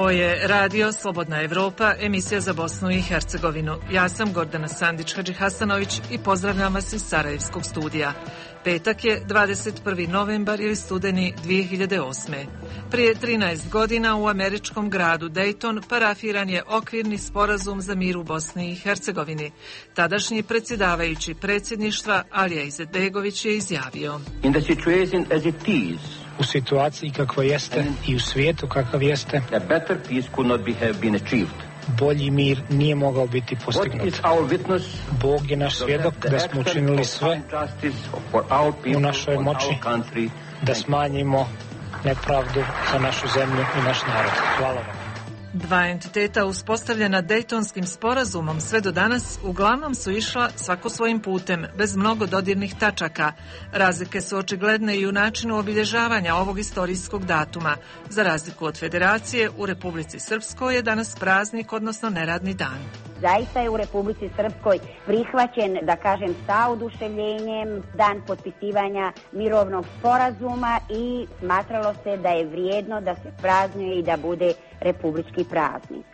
Ovo je Radio Slobodna Evropa, emisija za Bosnu i Hercegovinu. Ja sam Gordana Sandić-Hadžihasanović i pozdravljam vas iz Sarajevskog studija. Petak je 21. novembar ili studeni 2008. Prije 13 godina u američkom gradu Dayton parafiran je okvirni sporazum za mir u Bosni i Hercegovini. Tadašnji predsjedavajući predsjedništva Alija Izetbegović je izjavio: U situaciji kakva jeste i u svijetu kakav jeste, bolji mir nije mogao biti postignut. Bog je naš svjedok da smo učinili sve u našoj moći da smanjimo nepravdu za našu zemlju i naš narod. Hvala vam. Dva entiteta uspostavljena Dejtonskim sporazumom sve do danas uglavnom su išla svako svojim putem, bez mnogo dodirnih tačaka. Razlike su očigledne i u načinu obilježavanja ovog istorijskog datuma. Za razliku od Federacije, u Republici Srpskoj je danas praznik, odnosno neradni dan. Zaista je u Republici Srpskoj prihvaćen, da kažem, sa oduševljenjem dan potpisivanja mirovnog sporazuma i smatralo se da je vrijedno da se praznuje i da bude republički praznik.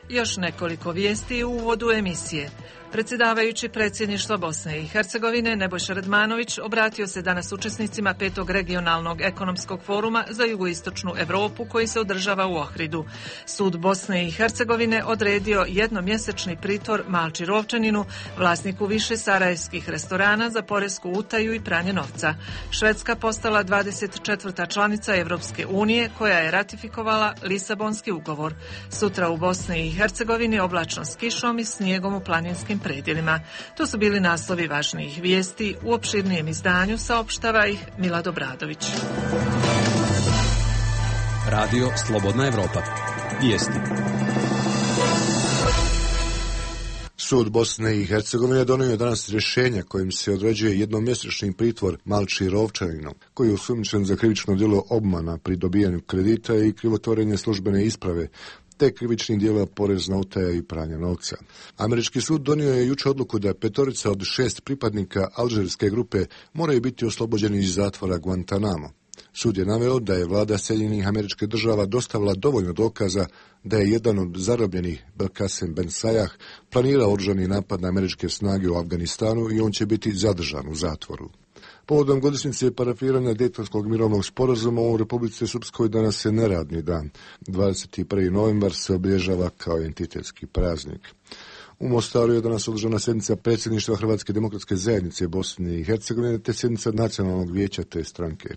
Još nekoliko vijesti u uvodu emisije. Predsjedavajući predsjedništva Bosne i Hercegovine Nebojša Radmanović obratio se danas učesnicima 5. regionalnog ekonomskog foruma za jugoistočnu Europu koji se održava u Ohridu. Sud Bosne i Hercegovine odredio jednomjesečni pritvor Malči Rovčaninu, vlasniku više sarajevskih restorana, za poresku utaju i pranje novca. Švedska postala 24. članica Evropske unije koja je ratifikovala Lisabonski ugovor. Sutra u Bosni i Hercegovini oblačno s kišom i snijegom u planinskim predjelima. To su bili naslovi važnijih vijesti. U opširnijem izdanju saopštava ih Milad Obradović. Radio Slobodna Evropa. Vijesti. Sud Bosne i Hercegovine donio je danas rješenja kojim se određuje jednomjesečni pritvor Malči Rovčaninu, koji je osumnjičen za krivično djelo obmana pri dobijanju kredita i krivotvorenje službene isprave, te krivičnih djela porezna utaja i pranja novca. Američki sud donio je jučer odluku da 5 od 6 pripadnika alžirske grupe moraju biti oslobođeni iz zatvora Guantanamo. Sud je naveo da je vlada Sjedinjenih Američkih Država dostavila dovoljno dokaza da je jedan od zarobljenih, Belkacem Ben Sayah, planirao oružani napad na američke snage u Afganistanu i on će biti zadržan u zatvoru. Povodom godišnjice parafiranja Dejtonskog mirovnog sporazuma u Republici Srpskoj danas je neradni dan. 21. novembar se obilježava kao entitetski praznik. U Mostaru je danas održana sjednica predsjedništva Hrvatske demokratske zajednice Bosne i Hercegovine te sjednica nacionalnog vijeća te stranke.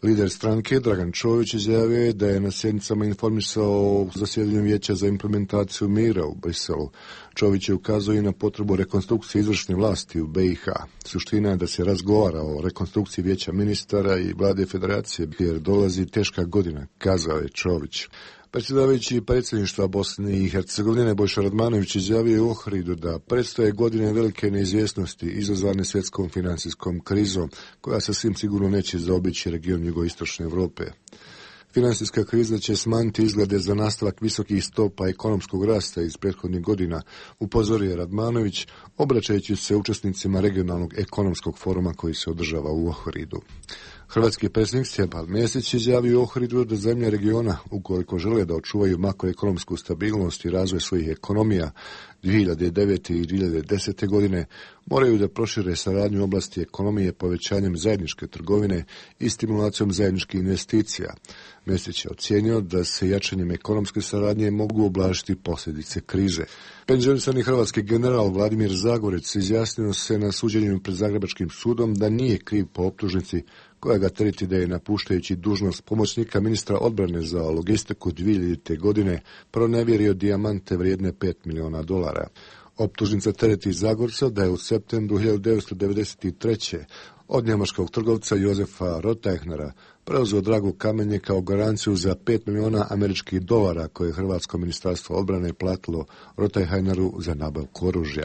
Lider stranke Dragan Čović izjavio je da je na sjednicama informisao o zasjedanju vijeća za implementaciju mira u Briselu. Čović je ukazao i na potrebu rekonstrukcije izvršne vlasti u BiH. Suština je da se razgovara o rekonstrukciji vijeća ministara i vlade federacije, jer dolazi teška godina, kazao je Čović. Predsjedavajući predsjedništva Bosne i Hercegovine Nebojša Radmanović izjavio je u Ohridu da predstoje godine velike neizvjesnosti izazvane svjetskom financijskom krizom, koja sasvim sigurno neće zaobići region jugoistočne Europe. Financijska kriza će smanjiti izglede za nastavak visokih stopa ekonomskog rasta iz prethodnih godina, upozorio Radmanović, obraćajući se učesnicima regionalnog ekonomskog foruma koji se održava u Ohridu. Hrvatski predsjednik Stjepan Mesić izjavio u Ohridu da zemlje regiona, ukoliko žele da očuvaju makroekonomsku stabilnost i razvoj svojih ekonomija 2009. i 2010. godine, moraju da prošire saradnju u oblasti ekonomije povećanjem zajedničke trgovine i stimulacijom zajedničkih investicija. Mesić je ocijenio da se jačanjem ekonomske saradnje mogu ublažiti posljedice krize. Penzionisani hrvatski general Vladimir Zagorec izjasnio se na suđenju pred Zagrebačkim sudom da nije kriv po optužnici koja ga tereti da je, napuštajući dužnost pomoćnika ministra odbrane za logistiku 2000. godine, pronevjerio dijamante vrijedne $5 miliona. Optužnica tereti Zagorca da je u septembru 1993. od njemačkog trgovca Jozefa Rottajnera preuzeo dragu kamenje kao garanciju za $5 miliona američkih dolara koje je Hrvatsko ministarstvo odbrane platilo Rottajneru za nabavku oružja.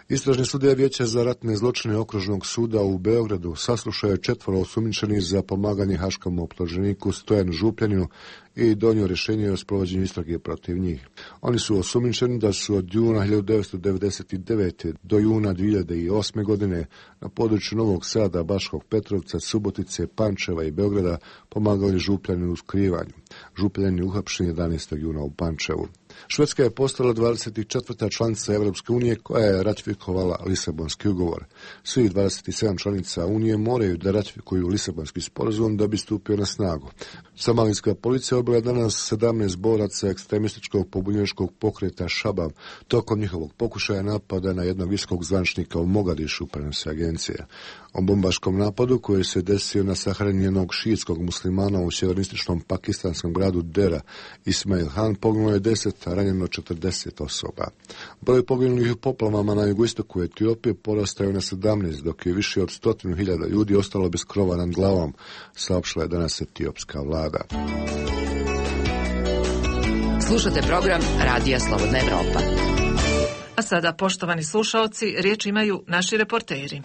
Istražni sudija Vijeća za ratne zločine Okružnog suda u Beogradu saslušao je 4 osumnjičenih za pomaganje haškom optuženiku Stojanu Župljaninu i donio rješenje o sprovođenju istrage protiv njih. Oni su osumnjičeni da su od juna 1999. do juna 2008. godine na području Novog Sada, Baškog Petrovca, Subotice, Pančeva i Beograda pomagali Župljaninu u skrivanju. Župljen uhapšen 11. juna u Pančevu. Švedska je postala 24. članica Evropske unije koja je ratifikovala Lisabonski ugovor. Svih 27 članica Unije moraju da ratifikuju Lisabonski sporazum da bi stupio na snagu. Somalijska policija odbila danas 17 boraca ekstremističkog pobunjeničkog pokreta Šabab tokom njihovog pokušaja napada na jednog visokog zvaničnika u Mogadišu, prenosi agencija. O bombaškom napadu koji se desio na sahranjenog šiitskog muslimana u sjevernističnom pakistanskom gradu Dera, Ismail Han, poginulo je 10, a ranjeno 40 osoba. Broj poginulih u poplavama na jugoistoku Etiopije porastao je na 17, dok je više od 100.000 ljudi ostalo bez krova nad glavom, saopštila je danas etiopska vlada. Slušate program Radija Slobodna Evropa. A sada, poštovani slušaoci, riječ imaju naši reporteri.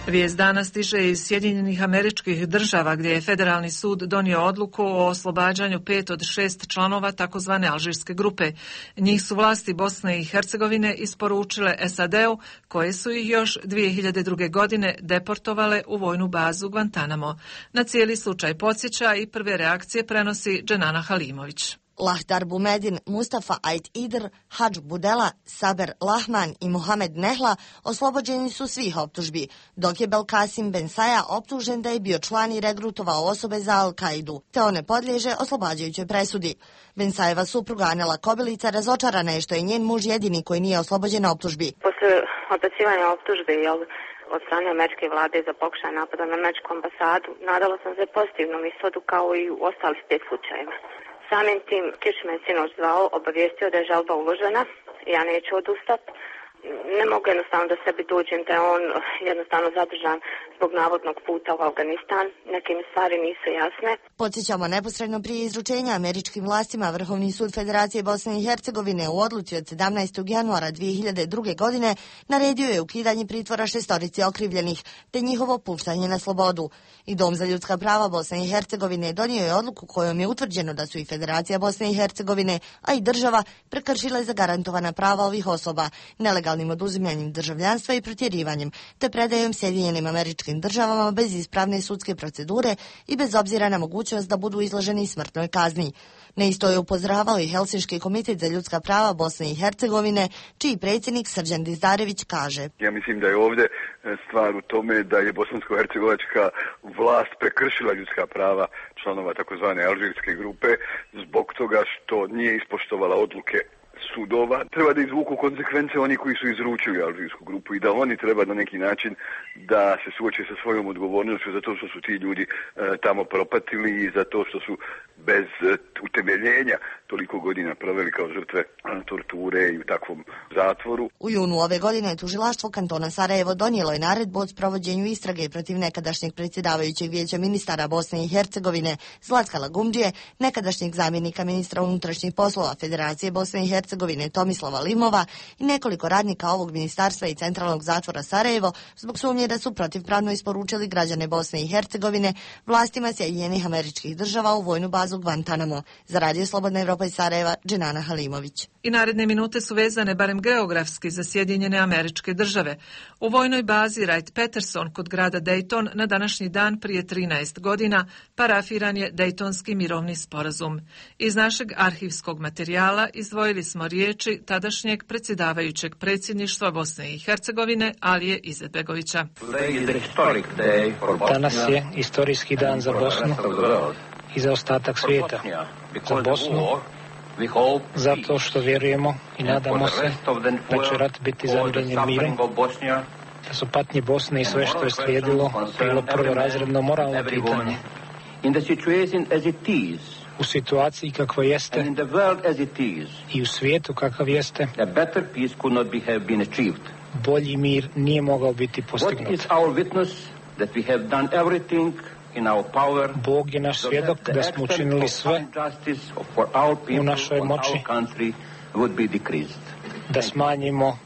Vijest dana stiže iz Sjedinjenih Američkih Država, gdje je Federalni sud donio odluku o oslobađanju 5 od 6 članova takozvane alžirske grupe. Njih su vlasti Bosne i Hercegovine isporučile SAD-u, koje su ih još 2002. godine deportovale u vojnu bazu Guantanamo. Na cijeli slučaj podsjeća i prve reakcije prenosi Dženana Halimović. Lahdar Bumedin, Mustafa Ait Idr, Hadž Budela, Saber Lahman i Mohamed Nehla oslobođeni su svih optužbi, dok je Belkasim Bensaja optužen da je bio član i regrutovao osobe za Al-Kaidu, te on ne podliježe oslobađajućoj presudi. Bensajeva supruga Anela Kobilica razočarana je što je njen muž jedini koji nije oslobođen optužbi. Posle odbacivanja optužbe od strane američke vlade za pokušaj napada na američku ambasadu, nadala sam se pozitivnom ishodu kao i u ostalih 5 slučajeva. Samim tim Kiš me sinoć zvao, obavijestio da je žalba uložena, ja neću odustati. Ne mogu jednostavno da sebi dođem da je on jednostavno zadržan zbog navodnog puta u Afganistan. Neke mi stvari nisu jasne. Podsjećamo, neposredno prije izručenja američkim vlastima Vrhovni sud Federacije Bosne i Hercegovine u odluci od 17. januara 2002. godine naredio je ukidanje pritvora 6 okrivljenih te njihovo puštanje na slobodu. I Dom za ljudska prava Bosne i Hercegovine donio je odluku kojom je utvrđeno da su i Federacija Bosne i Hercegovine, a i država prekršile zagarantovana prava ovih osoba, nelegalnim oduzimanjem državljanstva i protjerivanjem, te predajom Sjedinjenim Američkim Državama bez ispravne sudske procedure i bez obzira na mogućnost da budu izloženi smrtnoj kazni. Na isto je upozoravao i Helsinški komitet za ljudska prava Bosne i Hercegovine, čiji predsjednik Srđan Dizdarević kaže: Ja mislim da je ovdje stvar u tome da je bosansko-hercegovačka vlast prekršila ljudska prava članova takozvane alžirske grupe zbog toga što nije ispoštovala odluke sudova. Treba da izvuku konsekvence oni koji su izručili alžirsku grupu i da oni treba na neki način da se suoče sa svojom odgovornošću za to što su ti ljudi tamo propatili i za to što su bez utemeljenja toliko godina proveli kao žrtve torture i u takvom zatvoru. U junu ove godine tužilaštvo kantona Sarajevo donijelo je naredbu o sprovođenju istrage protiv nekadašnjeg predsjedavajućeg vijeća ministara Bosne i Hercegovine Zlatka Lagumdžije, nekadašnjeg zamjenika ministra unutrašnjih poslova Federacije Bosne i Hercegovine Tomislava Limova i nekoliko radnika ovog ministarstva i centralnog zatvora Sarajevo zbog sumnje da su protivpravno isporučili građane Bosne i Hercegovine vlastima Sjedinjenih Američkih Država u vojnu bazu Guantanamo. Za Radio Slobodna Evropa iz Sarajeva, Dženana Halimović. I naredne minute su vezane barem geografski za Sjedinjene Američke Države. U vojnoj bazi Wright-Patterson kod grada Dayton na današnji dan prije 13 godina parafiran je Dejtonski mirovni sporazum. Iz našeg arhivskog materijala izdvojili smo riječi tadašnjeg predsjedavajućeg predsjedništva Bosne i Hercegovine Alije Izetbegovića. Danas je istorijski dan za Bosnu i za ostatak svijeta. Za Bosnu, zato što vjerujemo i nadamo se da će rat biti zamirenjen mirom, da su patnje Bosne i sve što je slijedilo bilo prvorazredno moralno pitanje. U situaciji kakva jeste i u svijetu kakav jeste, bolji mir nije mogao biti postignut. Bog je naš svjedok da smo učinili sve u našoj moći da smanjimo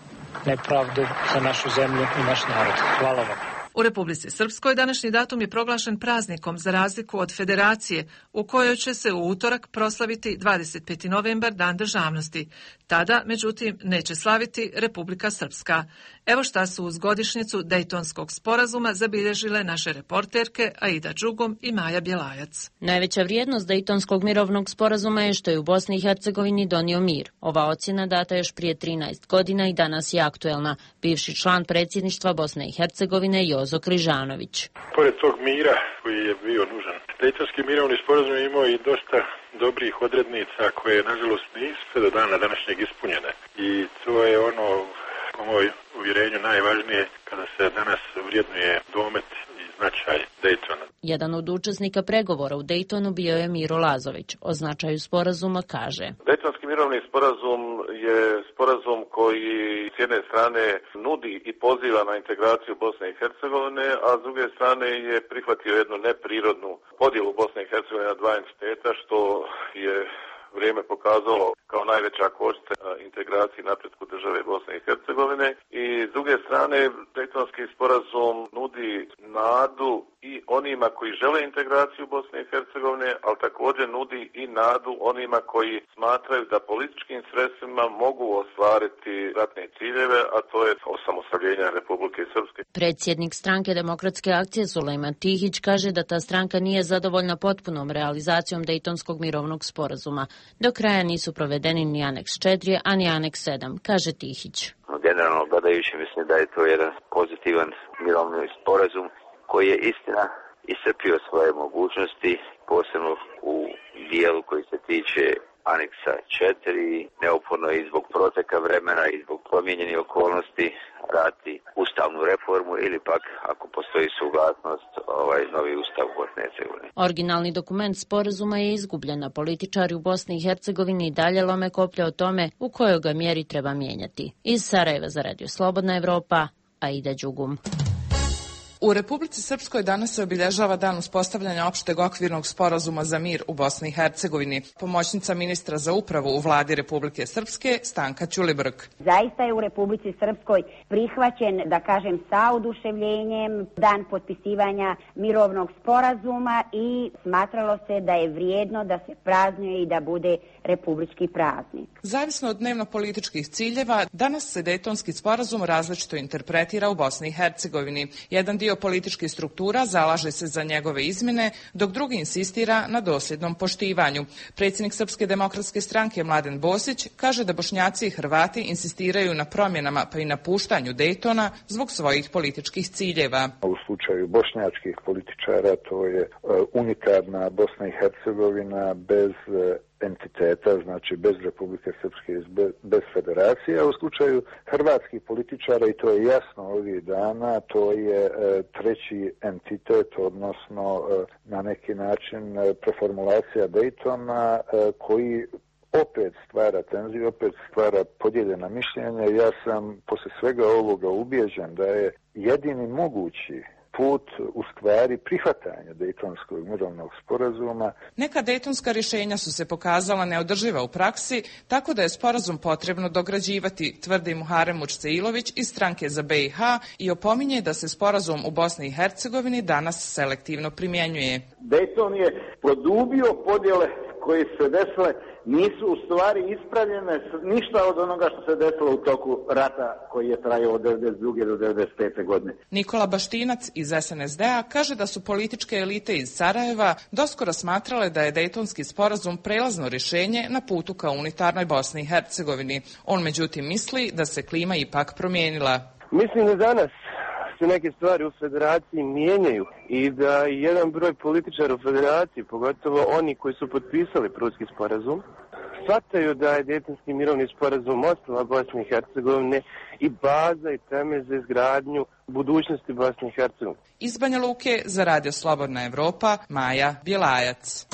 nepravdu za našu zemlju i naš narod. Hvala vam. U Republici Srpskoj današnji datum je proglašen praznikom za razliku od Federacije, u kojoj će se u utorak proslaviti 25. novembar, Dan državnosti. Tada, međutim, neće slaviti Republika Srpska. Evo šta su uz godišnjicu Dejtonskog sporazuma zabilježile naše reporterke Aida Đugum i Maja Bjelajac. Najveća vrijednost Dejtonskog mirovnog sporazuma je što je u Bosni i Hercegovini donio mir. Ova ocjena data još prije 13 godina i danas je aktuelna. Bivši član predsjedništva Bosne i Hercegovine Jozo Križanović. Pored tog mira koji je bio nužan, Dejtonski mirovni sporazum je imao i dosta dobrih odrednica koje nažalost nisu sve do dana današnjeg ispunjene. I to je ono, po moj uvjerenju, najvažnije kada se danas vrijednuje domet i značaj Dejtona. Jedan od učesnika pregovora u Dejtonu bio je Miro Lazović. O značaju sporazuma kaže: Dejtonski mirovni sporazum je sporazum koji s jedne strane nudi i poziva na integraciju Bosne i Hercegovine, a s druge strane je prihvatio jednu neprirodnu podjelu Bosne i Hercegovine na dva entiteta, što je vrijeme pokazalo kao najveća kočnica integraciji i napretku države Bosne i Hercegovine. I s druge strane, Dejtonski sporazum nudi nadu i onima koji žele integraciju Bosne i Hercegovine, ali također nudi i nadu onima koji smatraju da političkim sredstvima mogu ostvariti ratne ciljeve, a to je osamostaljenje Republike Srpske. Predsjednik stranke Demokratske akcije Sulejman Tihić kaže da ta stranka nije zadovoljna potpunom realizacijom Dejtonskog mirovnog sporazuma. Do kraja nisu provedeni ni aneks 4, a ni aneks 7, kaže Tihić. Generalno gledajući, mislim da je to jedan pozitivan mirovni sporazum koji je istina iscrpio svoje mogućnosti, posebno u dijelu koji se tiče aneksa 4, neophodno i zbog proteka vremena i zbog promijenjenih okolnosti raditi ustavnu reformu ili pak, ako postoji suglasnost, novi ustav u Bosni i Hercegovini. Originalni dokument sporazuma je izgubljen, a političari u Bosni i Hercegovini i dalje lome koplje o tome u kojoj ga mjeri treba mijenjati. Iz Sarajeva za Radio Slobodna Evropa, Aida Đugum. U Republici Srpskoj danas se obilježava dan uspostavljanja opšteg okvirnog sporazuma za mir u Bosni i Hercegovini. Pomoćnica ministra za upravu u vladi Republike Srpske Stanka Ćulibrk. Zaista je u Republici Srpskoj prihvaćen, da kažem, sa oduševljenjem dan potpisivanja mirovnog sporazuma i smatralo se da je vrijedno da se praznuje i da bude republički praznik. Zavisno od dnevno-političkih ciljeva, danas se Dejtonski sporazum različito interpretira u Bosni i Hercegovini. Jedan dio političkih struktura zalaže se za njegove izmjene, dok drugi insistira na dosljednom poštivanju. Predsjednik Srpske demokratske stranke Mladen Bosić kaže da Bošnjaci i Hrvati insistiraju na promjenama pa i napuštanju Dejtona zbog svojih političkih ciljeva. U slučaju bošnjačkih političara to je unitarna Bosna i Hercegovina bez entiteta, znači bez Republike Srpske, bez federacije, a u slučaju hrvatskih političara, i to je jasno ovih dana, to je treći entitet, odnosno na neki način preformulacija Dejtona koji opet stvara tenziju, opet stvara podijeljena mišljenja. Ja sam poslije svega ovoga ubijeđen da je jedini mogući put u stvari prihvatanja Dejtonskog mirovnog sporazuma. Neka dejtonska rješenja su se pokazala neodrživa u praksi, tako da je sporazum potrebno dograđivati, tvrdi Muharem Mučceilović iz stranke za BiH i opominje da se sporazum u Bosni i Hercegovini danas selektivno primjenjuje. Dejton je produbio podjele koje se desile, nisu u stvari ispravljene ništa od onoga što se desilo u toku rata koji je trajao od 1992. do 1995. godine. Nikola Baštinac iz SNSD-a kaže da su političke elite iz Sarajeva doskoro smatrale da je Dejtonski sporazum prelazno rješenje na putu ka unitarnoj Bosni i Hercegovini. On međutim misli da se klima ipak promijenila. Mislim da danas se neke stvari u federaciji mijenjaju i da jedan broj političara u federaciji, pogotovo oni koji su potpisali Prudski sporazum, shvataju da je Dejtonski mirovni sporazum ostala Bosne i Hercegovine i baza i temelj za izgradnju budućnosti Bosne i Hercegovine. Iz Banja Luke za Radio Slobodna Evropa, Maja Bjelajac.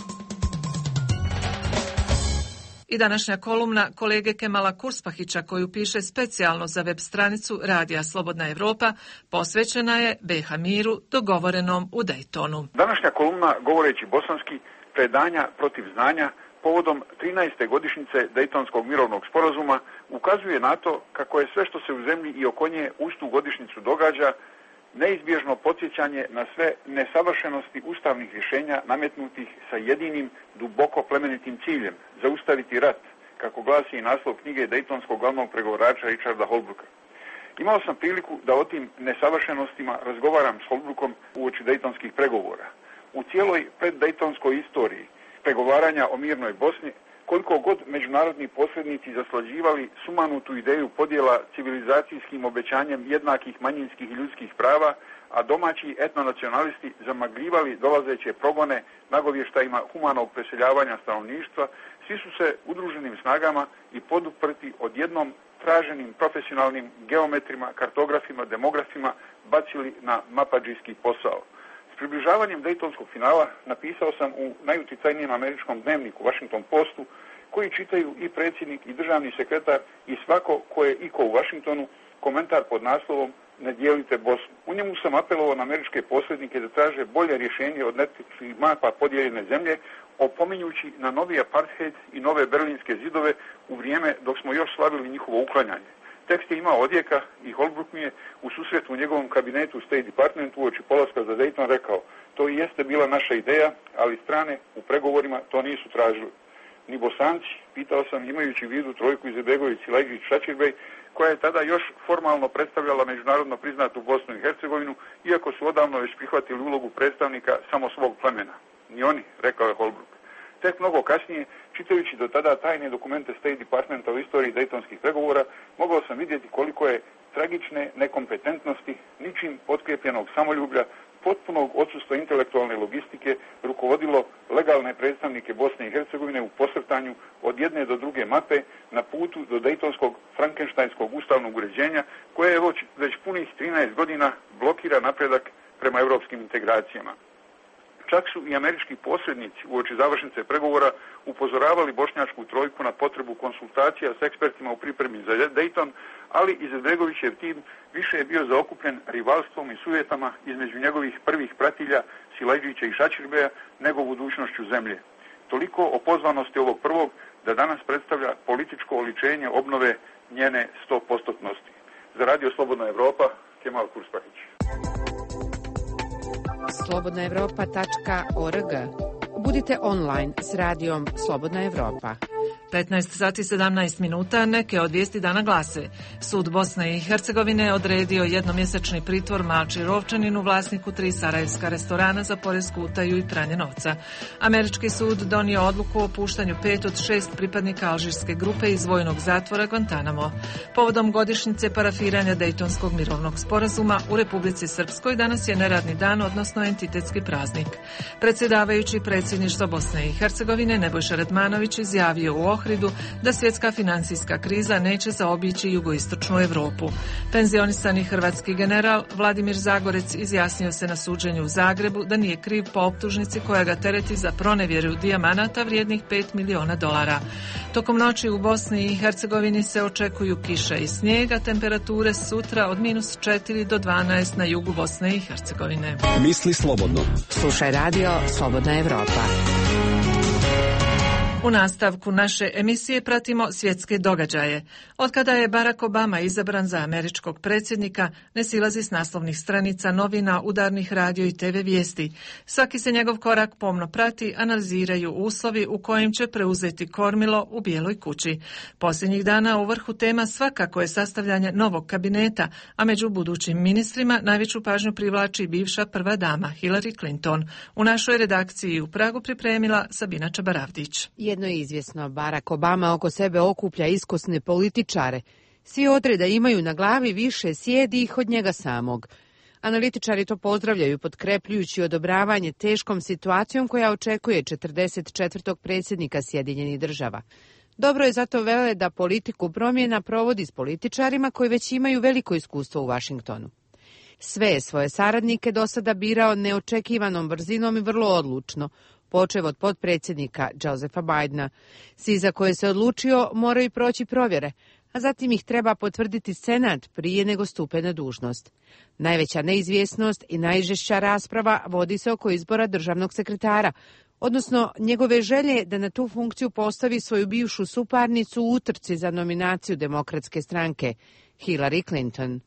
I današnja kolumna kolege Kemala Kurspahića, koju piše specijalno za web stranicu Radija Slobodna Evropa, posvećena je BiH miru dogovorenom u Dejtonu. Današnja kolumna, govoreći bosanski, predanja protiv znanja povodom 13. godišnjice Dejtonskog mirovnog sporazuma ukazuje na to kako je sve što se u zemlji i oko nje uz tu godišnjicu događa neizbježno podsjećanje na sve nesavršenosti ustavnih rješenja nametnutih sa jedinim duboko plemenitim ciljem, zaustaviti rat, kako glasi i naslov knjige dejtonskog glavnog pregovarača Richarda Holbrooka. Imao sam priliku da o tim nesavršenostima razgovaram s Holbrookom uoči dejtonskih pregovora. U cijeloj preddejtonskoj istoriji pregovaranja o mirnoj Bosni, koliko god međunarodni posrednici zaslađivali sumanutu ideju podjela civilizacijskim obećanjem jednakih manjinskih i ljudskih prava, a domaći etnonacionalisti zamagljivali dolazeće progone nagovještajima humanog preseljavanja stanovništva, svi su se udruženim snagama i poduprti odjednom traženim profesionalnim geometrima, kartografima, demografima bacili na mapadžijski posao. S približavanjem dejtonskog finala napisao sam u najuticajnijem američkom dnevniku Washington Postu, koji čitaju i predsjednik i državni sekretar i svako ko je iko u Washingtonu, komentar pod naslovom "Ne dijelite Bosnu". U njemu sam apelovao na američke posrednike da traže bolje rješenje od netikih mapa podijeljene zemlje, opominjući na novi apartheid i nove berlinske zidove u vrijeme dok smo još slavili njihovo uklanjanje. Tekst je imao odjeka i Holbrooke mi je u susretu u njegovom kabinetu State Departmentu uoči polaska za Dayton rekao: "To i jeste bila naša ideja, ali strane u pregovorima to nisu tražili. Ni Bosanci", pitao sam imajući u vidu trojku Izetbegović, Silajdžić, Šačirbej, koja je tada još formalno predstavljala međunarodno priznatu Bosnu i Hercegovinu, iako su odavno već prihvatili ulogu predstavnika samo svog plemena. "Ni oni", rekao je Holbrooke. Tek mnogo kasnije, čitajući do tada tajne dokumente State Departmenta o istoriji dejtonskih pregovora, mogao sam vidjeti koliko je tragične nekompetentnosti, ničim potkrijepljenog samoljublja, potpunog odsustva intelektualne logistike rukovodilo legalne predstavnike Bosne i Hercegovine u posrtanju od jedne do druge mape na putu do dejtonskog frankenštajnskog ustavnog uređenja, koje je već punih 13 godina blokira napredak prema europskim integracijama. Čak su i američki posrednici uoči završnice pregovora upozoravali bošnjačku trojku na potrebu konsultacija s ekspertima u pripremi za Dayton, ali Izetbegovićev tim više je bio zaokupljen rivalstvom i sujetama između njegovih prvih pratilja Silajdžića i Šačirbeja nego budućnošću zemlje. Toliko o pozvanosti ovog prvog da danas predstavlja političko oličenje obnove njene 100%-nosti. Za Radio Slobodna Evropa, Kemal Kurspahić. slobodnaevropa.org. Budite online s radijom Slobodna Evropa. 15 sati 17 minuta, neke od vijesti dana glase. Sud Bosne i Hercegovine odredio jednomjesečni pritvor Malči Rovčaninu, vlasniku 3 sarajevska restorana za poresku utaju i pranje novca. Američki sud donio odluku o puštanju 5 od 6 pripadnika alžirske grupe iz vojnog zatvora Guantanamo. Povodom godišnjice parafiranja Dejtonskog mirovnog sporazuma u Republici Srpskoj danas je neradni dan, odnosno entitetski praznik. Predsjedavajući predsjedništva Bosne i Hercegovine Nebojša Redmanović izjavio u Ohridu da svjetska financijska kriza neće zaobići jugoistočnu Europu. Penzionisani hrvatski general Vladimir Zagorec izjasnio se na suđenju u Zagrebu da nije kriv po optužnici koja ga tereti za pronevjeru dijamanata vrijednih $5 miliona. Tokom noći u Bosni i Hercegovini se očekuju kiša i snijega, temperature sutra od -4 do 12 na jugu Bosne i Hercegovine. Misli slobodno. Slušaj radio Slobodna Evropa. U nastavku naše emisije pratimo svjetske događaje. Otkada je Barack Obama izabran za američkog predsjednika, ne silazi s naslovnih stranica novina, udarnih radio i TV vijesti. Svaki se njegov korak pomno prati, analiziraju uslovi u kojim će preuzeti kormilo u Bijeloj kući. Posljednjih dana u vrhu tema svakako je sastavljanje novog kabineta, a među budućim ministrima najveću pažnju privlači bivša prva dama Hillary Clinton. U našoj redakciji u Pragu pripremila Sabina Čabaravdić. Jedno je izvjesno, Barack Obama oko sebe okuplja iskusne političare. Svi odreda imaju na glavi više sjedi ih od njega samog. Analitičari to pozdravljaju, potkrepljujući odobravanje teškom situacijom koja očekuje 44. predsjednika Sjedinjenih Država. Dobro je zato vele da politiku promjena provodi s političarima koji već imaju veliko iskustvo u Washingtonu. Sve je svoje saradnike do sada birao neočekivanom brzinom i vrlo odlučno, počev od potpredsjednika Josepha Bidena. Svi za koje se odlučio moraju proći provjere, a zatim ih treba potvrditi Senat prije nego stupe na dužnost. Najveća neizvjesnost i najžešća rasprava vodi se oko izbora državnog sekretara, odnosno njegove želje da na tu funkciju postavi svoju bivšu suparnicu u utrci za nominaciju Demokratske stranke, Hillary Clinton.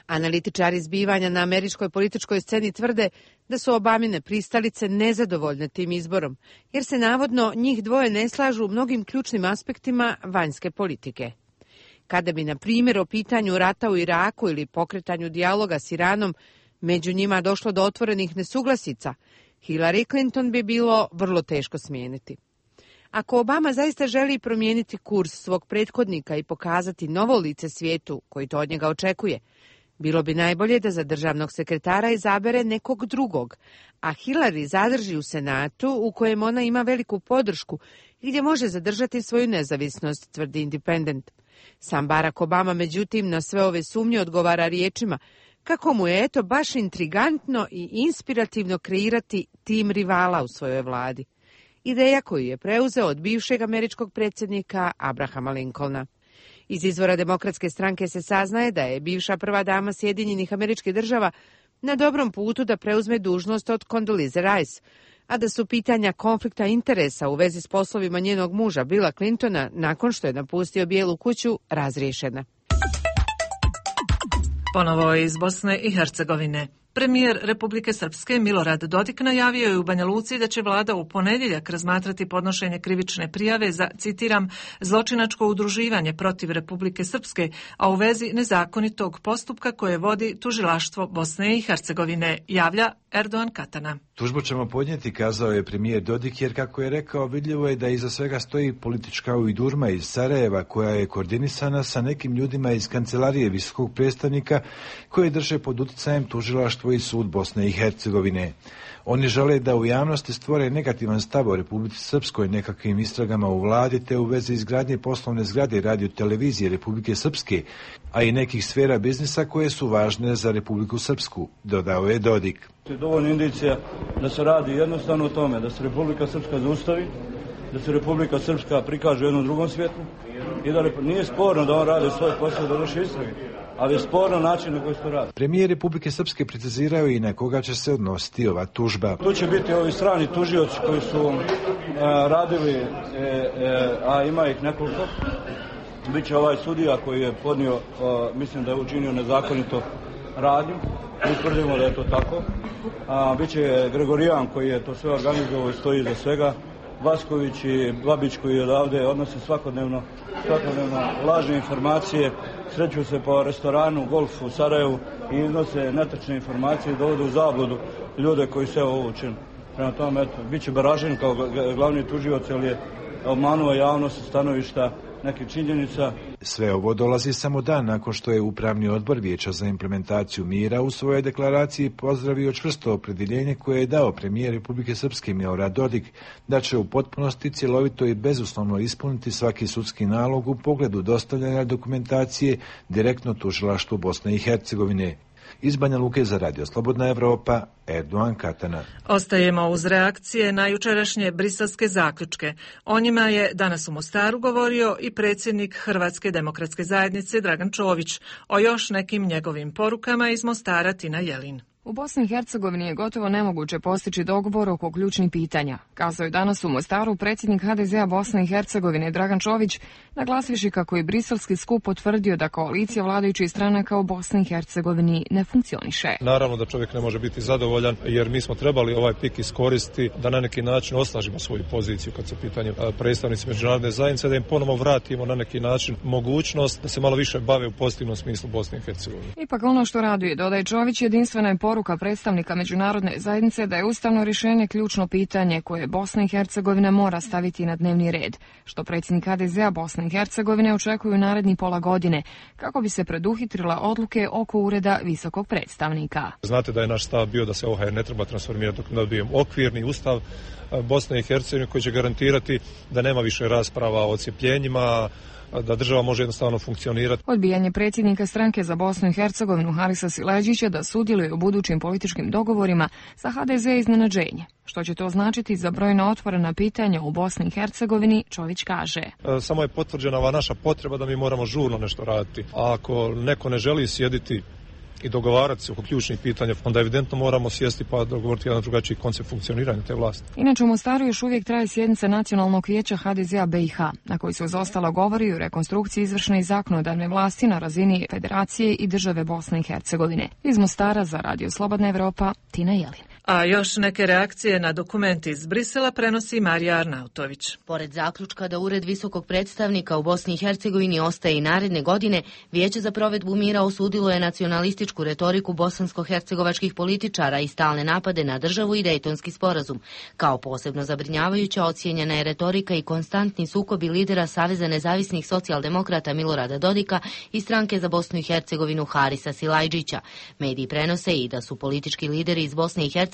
Analitičari zbivanja na američkoj političkoj sceni tvrde da su Obamine pristalice nezadovoljne tim izborom, jer se navodno njih dvoje ne slažu u mnogim ključnim aspektima vanjske politike. Kada bi, na primjer, o pitanju rata u Iraku ili pokretanju dijaloga s Iranom među njima došlo do otvorenih nesuglasica, Hillary Clinton bi bilo vrlo teško smijeniti. Ako Obama zaista želi promijeniti kurs svog prethodnika i pokazati novo lice svijetu koji to od njega očekuje, bilo bi najbolje da za državnog sekretara izabere nekog drugog, a Hillary zadrži u Senatu u kojem ona ima veliku podršku i gdje može zadržati svoju nezavisnost, tvrdi Independent. Sam Barack Obama, međutim, na sve ove sumnje odgovara riječima kako mu je baš intrigantno i inspirativno kreirati tim rivala u svojoj vladi. Ideja koju je preuzeo od bivšeg američkog predsjednika Abrahama Lincolna. Iz izvora Demokratske stranke se saznaje da je bivša prva dama Sjedinjenih Američkih Država na dobrom putu da preuzme dužnost od Condoleezza Rice, a da su pitanja konflikta interesa u vezi s poslovima njenog muža Billa Clintona nakon što je napustio Bijelu kuću razriješena. Ponovo iz Bosne i Hercegovine. Premijer Republike Srpske Milorad Dodik najavio je u Banja Luci da će vlada u ponedjeljak razmatrati podnošenje krivične prijave za, citiram, zločinačko udruživanje protiv Republike Srpske, a u vezi nezakonitog postupka koje vodi tužilaštvo Bosne i Hercegovine, javlja Erdogan Katana. Tužbu ćemo podnijeti, kazao je premijer Dodik, jer kako je rekao, vidljivo je da iza svega stoji politička ujdurma iz Sarajeva koja je koordinisana sa nekim ljudima iz kancelarije visokog predstavnika koje drže pod utjecajem tužilaštvo i sud Bosne i Hercegovine. Oni žele da u javnosti stvore negativan stav o Republici Srpskoj, nekakvim istragama u vladi te u vezi izgradnje poslovne zgrade radio-televizije Republike Srpske, a i nekih sfera biznisa koje su važne za Republiku Srpsku, dodao je Dodik. Dovoljno indicija da se radi jednostavno o tome da se Republika Srpska zaustavi, da se Republika Srpska prikaže u jednom drugom svijetu i da nije sporno da on radi svoj posao da vrši istrage, ali je sporno način na koji se to radi. Premijer Republike Srpske precizirao i na koga će se odnositi ova tužba. Tu će biti ovi strani tužioci koji su radili, a ima ih nekoliko. Biće ovaj sudija koji je podnio, mislim da je učinio nezakonito radnju. Mi tvrdimo da je to tako. Biće Gregorijan koji je to sve organizovao i stoji iza svega. Vasković i Babić koji odavde odnose svakodnevno lažne informacije, sreću se po restoranu, golf u Sarajevu i iznose netačne informacije i dovode u zabludu ljude koji se ovo učine. Prema tome, eto, bit će Baražin kao glavni tužilac, jer je obmanuo javnost sa stanovišta nekih činjenica. Sve ovo dolazi samo dan nakon što je Upravni odbor Vijeća za implementaciju mira u svojoj deklaraciji pozdravio čvrsto opredjeljenje koje je dao premijer Republike Srpske Milorad Dodik da će u potpunosti, cjelovito i bezuslovno ispuniti svaki sudski nalog u pogledu dostavljanja dokumentacije direktno tužilaštvu Bosne i Hercegovine. Iz Banja Luke za Radio Slobodna Evropa, Erdogan Katana. Ostajemo uz reakcije na jučerašnje briselske zaključke. O njima je danas u Mostaru govorio i predsjednik Hrvatske demokratske zajednice Dragan Čović. O još nekim njegovim porukama iz Mostara Tina Jelin. U Bosni i Hercegovini je gotovo nemoguće postići dogovor oko ključnih pitanja, kazao je danas u Mostaru predsjednik HDZ-a Bosne i Hercegovine Dragan Čović, naglasivši kako je briselski skup potvrdio da koalicija vladajućih stranaka u Bosni i Hercegovini ne funkcioniše. Naravno da čovjek ne može biti zadovoljan, jer mi smo trebali ovaj pik iskoristiti da na neki način osnažimo svoju poziciju kad su pitanje predstavnici međunarodne zajednice, da im ponovo vratimo na neki način mogućnost da se malo više bave u pozitivnom smislu Bosne i Hercegovine. Ipak ono što raduje, dodaje Čović, jedinstvena je poruka predstavnika međunarodne zajednice da je ustavno rješenje ključno pitanje koje Bosna i Hercegovina mora staviti na dnevni red, što predsjednik HDZ-a Bosne i Hercegovine očekuju naredni pola godine, kako bi se preduhitrila odluke oko ureda visokog predstavnika. Znate da je naš stav bio da se OHR ne treba transformirati dok ne dobijemo okvirni ustav Bosne i Hercegovine koji će garantirati da nema više rasprava o odcjepljenjima, da država može jednostavno funkcionirati. Odbijanje predsjednika stranke za Bosnu i Hercegovinu Harisa Sileđića da sudjeluje u budućim političkim dogovorima sa HDZ iznenađenje. Što će to značiti za brojna otvorena pitanja u Bosni i Hercegovini, Čović kaže. Samo je potvrđena ova naša potreba da mi moramo žurno nešto raditi. A ako neko ne želi sjediti i dogovarati se oko ključnih pitanja, onda evidentno moramo sjesti pa dogovoriti jedan drugačiji koncept funkcioniranja te vlasti. Inače, u Mostaru još uvijek traje sjednica Nacionalnog vijeća HDZ-a BiH, na koji se uz ostalo govori o rekonstrukciji izvršne i zakonodavne vlasti na razini Federacije i države Bosne i Hercegovine. Iz Mostara za Radio Slobodna Evropa, Tina Jelin. A još neke reakcije na dokument iz Brisela prenosi Marija Arnautović. Pored zaključka da Ured visokog predstavnika u Bosni i Hercegovini ostaje i naredne godine, Vijeće za provedbu mira osudilo je nacionalističku retoriku bosansko-hercegovačkih političara i stalne napade na državu i Dejtonski sporazum. Kao posebno zabrinjavajuća ocijenjena je retorika i konstantni sukobi lidera Saveza nezavisnih socijaldemokrata Milorada Dodika i stranke za Bosnu i Hercegovinu Harisa Silajdžića. Mediji prenose i da su politički lideri iz Bosne i Hercegovine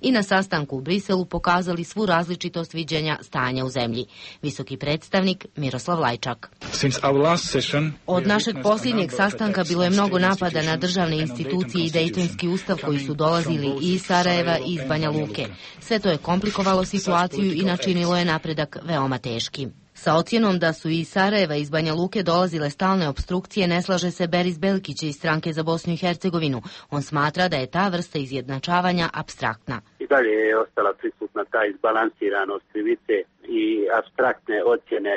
i na sastanku u Briselu pokazali svu različitost viđenja stanja u zemlji. Visoki predstavnik Miroslav Lajčak. Od našeg posljednjeg sastanka bilo je mnogo napada na državne institucije i Dejtonski ustav koji su dolazili i iz Sarajeva i iz Banja Luke. Sve to je komplikovalo situaciju i načinilo je napredak veoma teškim. Sa ocjenom da su iz Sarajeva i iz Banja Luke dolazile stalne opstrukcije ne slaže se Beris Belkić iz stranke za Bosnu i Hercegovinu. On smatra da je ta vrsta izjednačavanja apstraktna. I dalje je ostala prisutna ta izbalansiranost krivice i apstraktne ocjene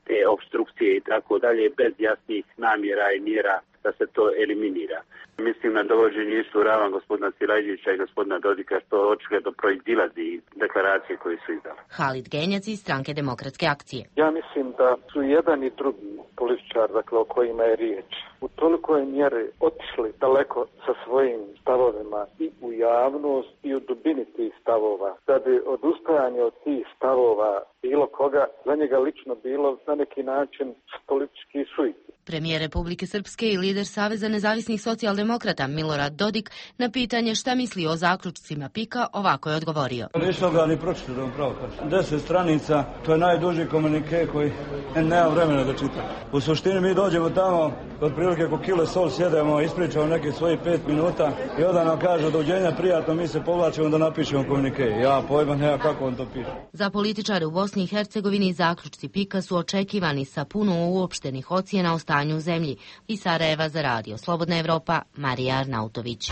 te opstrukcije i tako dalje bez jasnih namjera i mjera da se to eliminira. Mislim na dovođenje istu ravan gospodina Silajdžića i gospodina Dodika, što očigledno proizilazi iz deklaracije koje su izdali. Halid Genjac iz stranke Demokratske akcije. Ja mislim da su jedan i drugi političar, dakle o kojima je riječ, u tolikoj mjeri otišli daleko sa svojim stavovima i u javnost i u dubini tih stavova, da bi odustajanje od tih stavova bilo koga za njega lično bilo na neki način politički suicid. Premijer Republike Srpske i lider Saveza nezavisnih socijaldemokrata Milorad Dodik na pitanje šta misli o zaključcima PIK-a ovako je odgovorio. Nisam ga ni pročitao, pravo. 10 stranica, to je najduži komunike koji nema vremena da čita. U suštini mi dođemo tamo, otprilike oko kilo sol sjedemo, ispričamo neke svoje 5 minuta i onda nam kaže dođenja prijatno, mi se povlačimo da napišemo komunike. Ja pojma nema kako on to piše. Za političare u Bosni i Hercegovini zaključci PIK-a su očekivani sa puno uopštenih ocjena o stanju u zemlji. Iz Sarajeva za Radio Slobodna Evropa, Marija Arnautović.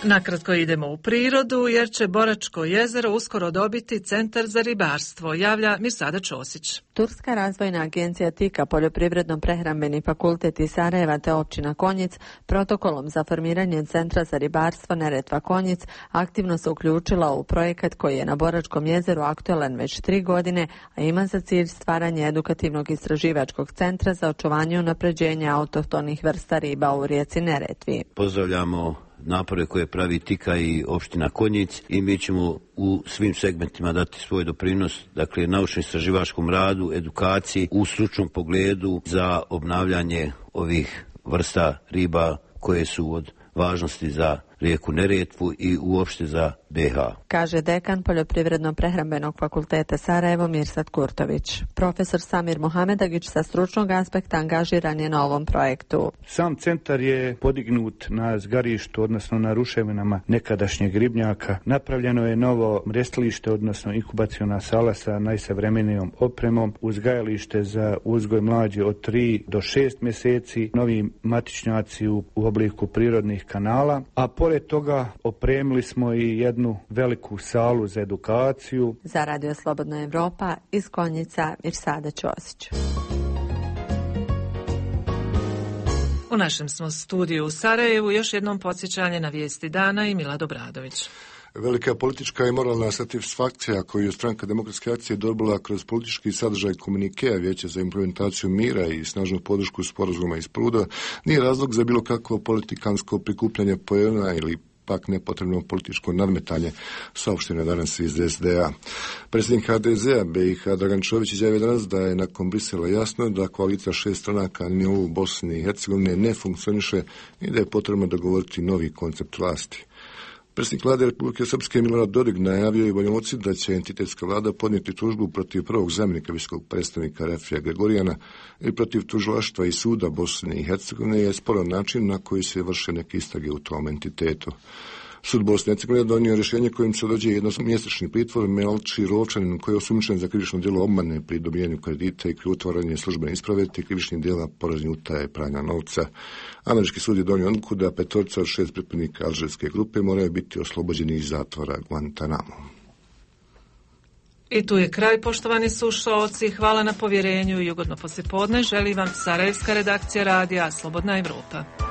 Nakratko idemo u prirodu, jer će Boračko jezero uskoro dobiti centar za ribarstvo, javlja Mirsada Ćosić. Turska razvojna agencija TIKA, Poljoprivredno-prehrambeni fakultet iz Sarajeva te općina Konjic protokolom za formiranje centra za ribarstvo Neretva Konjic aktivno se uključila u projekat koji je na Boračkom jezeru aktualan već 3 godine, a ima za cilj stvaranje edukativnog istraživačkog centra za očuvanje i unapređenje autohtonih vrsta riba u rijeci Neretvi. Pozdravljamo napore koje pravi TIKA i opština Konjic i mi ćemo u svim segmentima dati svoj doprinos, dakle naučno-istraživačkom radu, edukaciji u stručnom pogledu za obnavljanje ovih vrsta riba koje su od važnosti za rijeku Neretvu i uopšte za BiH. Kaže dekan Poljoprivredno-prehrambenog fakulteta Sarajevo Mirsad Kurtović. Profesor Samir Mohamedagić sa stručnog aspekta angažiran je na ovom projektu. Sam centar je podignut na zgarištu, odnosno na ruševinama nekadašnjeg ribnjaka. Napravljeno je novo mrestilište, odnosno inkubaciona sala sa najsavremenijom opremom, uzgajalište za uzgoj mlađe od 3 do 6 mjeseci, novi matičnjaci u obliku prirodnih kanala, a pored toga opremili smo i jednu veliku salu za edukaciju. Za Radio Slobodna Evropa iz Konjica Mirsada Ćosić. U našem smo studiju u Sarajevu još jednom podsjećanje na vijesti dana i Milad Obradović. Velika politička i moralna satisfakcija koju je stranka Demokratske akcije dobila kroz politički sadržaj komunikea Vijeća za implementaciju mira i snažnu podršku sporazuma iz Pruda nije razlog za bilo kakvo politikansko prikupljanje poena ili pak nepotrebno političko nadmetanje, saopšteno danas iz SDA. Predsjednik HDZ-a BiH Dragan Čović izjavio danas da je nakon Brisela jasno da koalicija 6 stranaka na nivou Bosne i Hercegovine ne funkcioniše i da je potrebno dogovoriti novi koncept vlasti. Predsjednik vlade Republike Srpske Milorad Dodik najavio i Banja Luci da će entitetska vlada podnijeti tužbu protiv prvog zamjenika visokog predstavnika Rafija Gregorijana i protiv tužilaštva i suda Bosne i Hercegovine je sporan način na koji se vrše neke istrage u tom entitetu. Sud Bosne i Hercegovine donio rješenje kojim se određuje jednomjesečni pritvor Melči Rovčanin koji je osumnjičen za krivično djelo obmane pri dobijanju kredita i krivotvorenje službene isprave te krivičnih djela porezne utaje pranja novca. Američki sud je donio odluku da 5 od 6 pripadnika alžirske grupe moraju biti oslobođeni iz zatvora Guantanamo. I tu je kraj, poštovani slušaoci. Hvala na povjerenju i ugodno poslijepodne. Želi vam sarajevska redakcija radija Slobodna Evropa.